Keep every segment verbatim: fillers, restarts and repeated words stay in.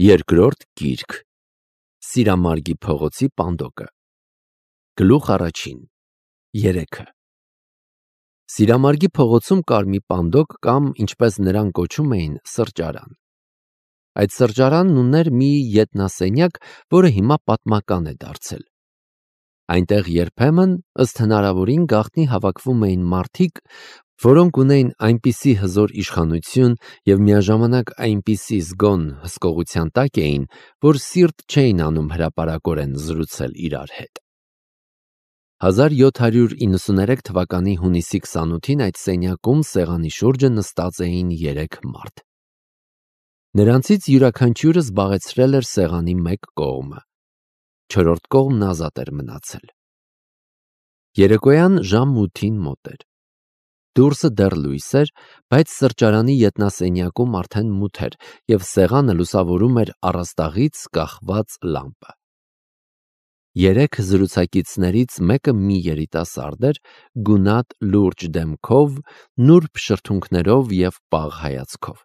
Երկրորդ գիրք Սիրամարգի փողոցի պանդոկը Գլուխ առաջին Երեքը Սիրամարգի փողոցում կար մի պանդոկ կամ ինչպես նրան կոչում էին սրճարան։ Այդ սրճարանն ուներ մի ետնասենյակ, որը հիմա պատմական է դարձել։ Այնտեղ երբեմն ըստ հնարավորին գաղտնի հավաքվում էին մարդիկ, որոնք ունեին այնպիսի հզոր իշխանություն և միաժամանակ այնպիսի զգոն հսկողության տակ էին, որ սիրտ չէին անում հրապարակորեն զրուցել իրար հետ։ հազար յոթ հարյուր իննսուներեք թվականի հունիսի քսանութին այդ սենյակում սեղանի շուրջը նստած էին երեք մարդ։ Նրանցից յուրաքանչյուրը զբաղեցրել էր սեղանի մեկ կողմը, չորրորդ կողմն ազատ էր մնացել։ Երեկոյան ժամ ութին մոտ էր։ Դուրսը դեռ լույս էր, բայց սրճարանի ետնասենյակում արդեն մութ էր և սեղանը լուսավորում էր առաստաղից կախված լամպը։ Երեք զրուցակիցներից մեկը մի երիտասարդ էր, գունատ լուրջ դեմքով, նուրբ շրթունքներով և պաղ հայացքով։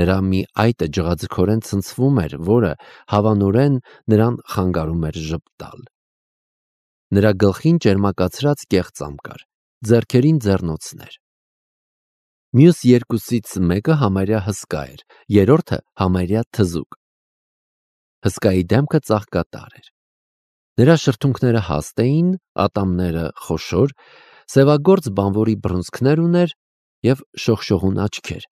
Նրա մի այտը ջղաձգորեն ցնցվում էր, որը հավանորեն նրան խանգարում էր ժպտալ։ Նրա գլխին ճերմակացրած կեղծամ կար, ձեռքերին ձեռնոցներ։ Մյուս երկուսից մեկը համարյա հսկա էր, երրորդը համարյա թզուկ։ Հսկայի դեմքը ծաղկատար էր։ Նրա շրթունքները հաստ էին, ատամները խոշոր, սևագործ բանվորի բռունցքներ ուներ և շողշողուն աչքեր։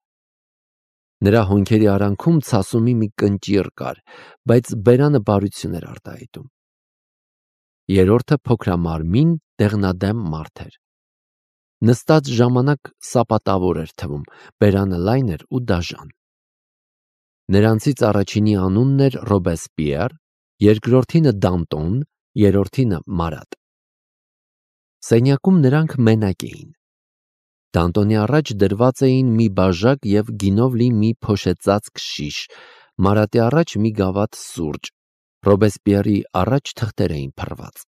Նրա հոնքերի արանքում ցասումի մի կնճիռ կար, բայց բերանը բարություն էր արտահայտում։ Երրորդը փոքրամարմին, դեղնադեմ մարդ էր։ Նստած ժամանակ սապատավոր էր թվում, բերանը լայն էր ու դաժան։ Նրանցից առաջինի անունն էր Ռոբեսպիեր, երկրորդինը Դանտոն, երրորդինը Մարատ։ Սենյակում նրանք մենակ էին։ Դանտոնի առաջ դրված էին մի բաժակ և գինով լի մի փոշեցածկ շիշ, Մարատի առաջ մի գավաթ սուրճ, Ռոբեսպիերի առաջ թղթեր էին փռված։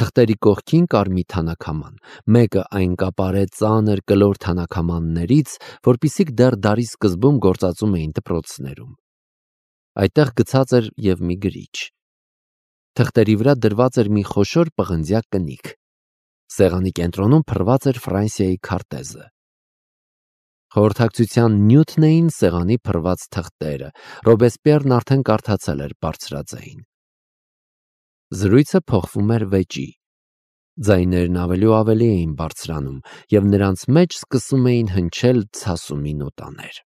Թղթերի կողքին կար մի թանաքաման, մեկը այն կապարե ծանր կլոր թանաքամաններից, որպիսիք դեռ դարի սկզբում գործածում էին դպրոցներում։ Այդտեղ գցած էր և մի գրիչ։ Թղթերի վրա դրված էր մի խոշոր պղնձյա կնիկ։ Սեղանի կենտրոնում փռված էր Ֆրանսիայի քարտեզը։ Խորհրդակցության նյութն էին սեղանի փռված թղթերը, Ռոբեսպիերն արդեն կարդացել էր բարձրաձայն։ Զրույցը փոխվում էր վեճի։ Ձայներն ավելի ու ավելի էին բարձրանում, և նրանց մեջ սկսում էին հնչել ցասումի նոտաներ։